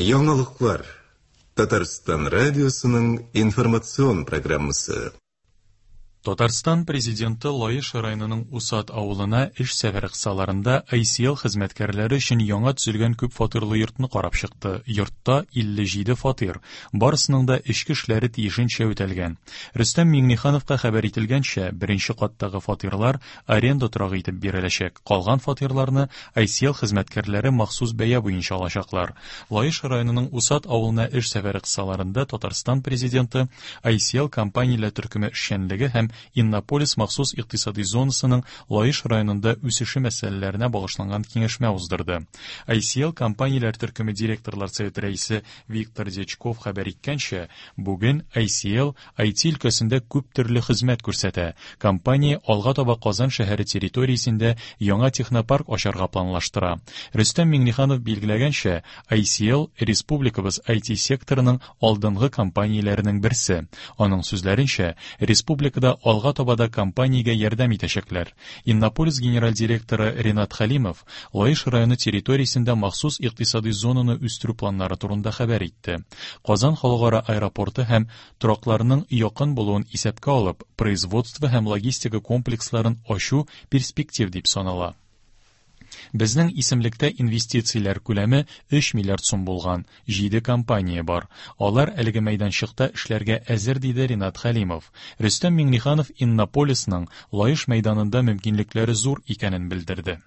Яңалыклар. Татарстан радиосының информацион программасы. Татарстан Президенты Лаеш районының Усад авылына эш сәфәре кысаларында ICL хезмәткәрләре өчен яңа төзелгән күп фатирлы йортны карап чыкты. Йортта 57 фатир. Барысының да эчке эшләре тиешенчә үтәлгән. Рөстәм Миңнехановка хәбәр ителгәнчә, беренче каттагы фатирлар аренда торагы итеп биреләчәк. Калган фатирларны ICL хезмәткәрләре махсус бәя буенча алачаклар. Лаеш районының Усад авылына эш сәфәре кысаларында Татарстан Президенты ICL компанияләр төркеме эшчәнлеге һәм Иннополис махсус икътисади зонасының Лаеш районында үсеше мәсьәләләренә багышланган киңәшмә уздырды. ICL компанияләр төркеме директорлар советы рәисе Виктор Дьячков хәбәр иткәнчә, бүген ICL IT өлкәсендә күп төрле хезмәт күрсәтә. Компания алга таба Казан шәһәре территориясендә яңа технопарк ачарга планлаштыра. Рөстәм Миңнеханов билгеләгәнчә, ICL республикабыз IT секторының алдынгы компанияләренең берсе. Аның сүзләренчә, республикада алга таба да компаниягә ярдәм итәчәкләр. Иннополис генераль директоры Ренат Хәлимов Лаеш районы территориясендә махсус икътисадый зонаны үстерү планнары турында хәбәр итте. Казан халыкара аэропорты һәм торакларның якын булуын исәпкә алып, производство һәм логистика комплексларын ачу перспектив дип санала. Безнең исемлектә инвестицияләр күләме 3 миллиард сум булган җиде компания бар. Алар әлеге мәйданчыкта эшләргә әзер, диде Ренат Хәлимов. Рөстәм Миңнеханов Иннополисның Лаеш мәйданында мөмкинлекләре зур икәнен белдерде.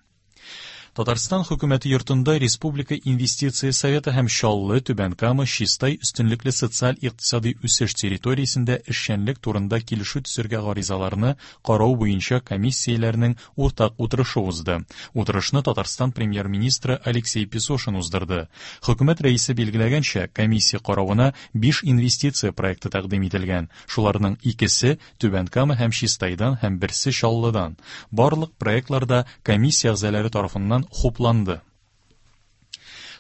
Татарстан хөкүмәте йортында Республика инвестиция советы һәм Чаллы, Түбән Кама, Чистай өстенлекле социаль-икътисадый үсеш территориясендә эшчәнлек турында килешү төзергә гаризаларны карау буенча комиссияләрнең уртак утырышы узды. Утырышны Татарстан премьер-министры Алексей Песошин уздырды. Хөкүмәт рәисе билгеләгәнчә, комиссия каравына 5 инвестиция проекты тәкъдим ителгән. Шуларның икесе Түбән Кама һәм Чистайдан һәм берсе Чаллыдан. Барлык проектлар да комиссия әгъзалары тарафыннан хупланды.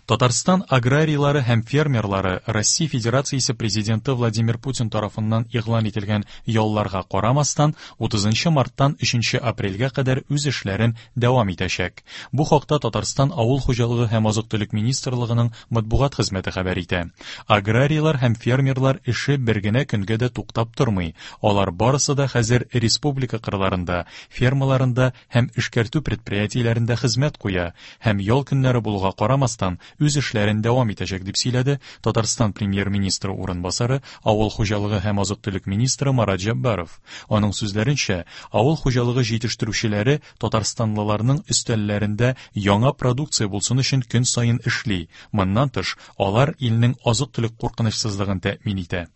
Татарстан аграрийлары һәм фермерлары Россия Федерациясе Президенты Владимир Путин тарафыннан игълан ителгән ялларга карамастан, 30 марттан 3 апрельгә кадәр үз эшләрен дәвам итәчәк. Бу хакта Татарстан Авыл хуҗалыгы һәм азык-төлек министрлыгының матбугат хезмәте хәбәр итә. Аграрийлар һәм фермерлар эше бер генә көнгә дә туктап тормый. Алар барысы да хәзер республика кырларында, фермаларында һәм эшкәртү предприятиеләрендә хезмәт куя һәм ял көннәре булуга карамастан, үз эшләрен дәвам итәчәк, дип сөйләде Татарстан премьер-министры урынбасары, авыл хуҗалыгы һәм азык-төлек министры Марат Җәббаров. Аның сүзләренчә, авыл хуҗалыгы җитештерүчеләре татарстанлыларның өстәлләрендә яңа продукция булсын өчен көн саен эшли. Моннан тыш, алар илнең азык-төлек куркынычсызлыгын тәэмин итә.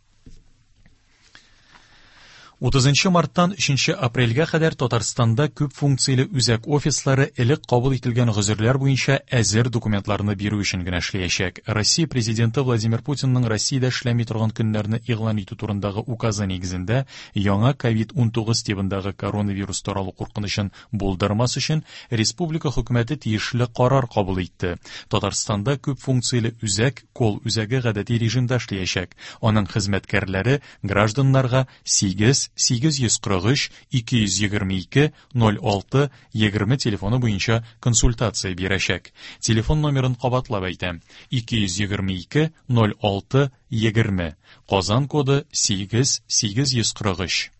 30 марттан 3 апрельгә кадәр Татарстанда күп функцияле үзәк офислары элек кабул ителгән гозерләр буенча әзер документларны бирү өчен генә эшләячәк. Россия Президенты Владимир Путинның Россиядә эшләми торган көннәрне игълан итү турындагы указы нигезендә яңа ковид-19 тибындагы коронавирус таралу куркынычын булдырмас өчен республика хөкүмәте тиешле карар кабул итте. Татарстанда күп функцияле үзәк кол үзәге гадәти режимда эшләячәк. Аның хезмәткәрләре гражданнарга 8 843 222 06 20 телефоны буенча консультация бирәчәк. Телефон номерын кабатлап әйтәм: 222 06 20. Казан коды 8 843.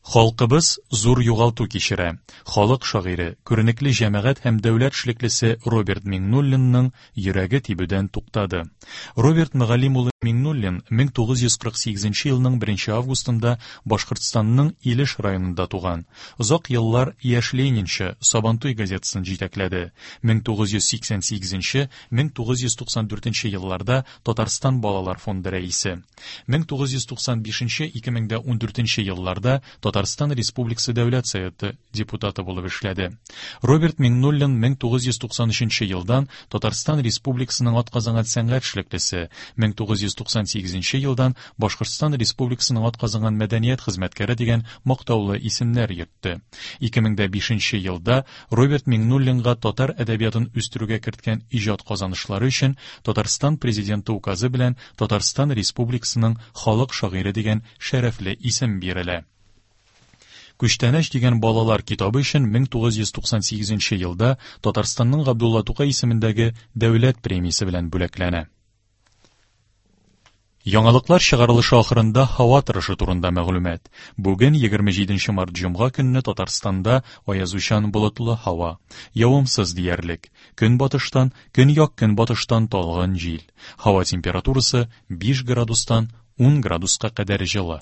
Халкыбыз зур югалту кичерә. Халык шагыйре, күренекле җәмәгать һәм дәүләт эшлеклесе Роберт Миңнуллинның йөрәге тибүдән туктады. Роберт Мөгаллим улы Миңнуллин 1948 елның 1 августында Башкортстанның Илеш районында туган. Озак еллар Яшь ленинчы, Сабантуй газетасын җитәкләде. 1988-1994 елларда Татарстан балалар фонды рәисе. 1995-2014 елларда Татарстан Республикасы Дәүләт Советы депутаты булып эшләде. Роберт Миңнуллин 1993 елдан Татарстан Республикасының атказанган сәнгать эшлеклесе, 1998 елдан Башкортстан Республикасының атказанган мәдәният хезмәткәре дигән мактаулы исемнәр йөртте. 2005 елда Роберт Миңнуллинга татар әдәбиятын үстерүгә керткән иҗат казанышлары өчен Татарстан Президенты указы белән Татарстан Республикасының халык шагыйре дигән шәрәфле исем бирелә. Күчтәнәч дигән балалар китабы өчен 1998 елда Татарстанның Габдулла Тукай исемендәге дәүләт премиясе белән бүләкләнә. Яңалыклар чыгарылышы ахырында һава торышы турында мәгълүмат. Бүген 27 март җомга көнне Татарстанда аязучан болытлы һава. Явымсыз диярлек. Көнбатыштан, җил. Һава температурасы 5 градустан 10 градуска кадәр җылы.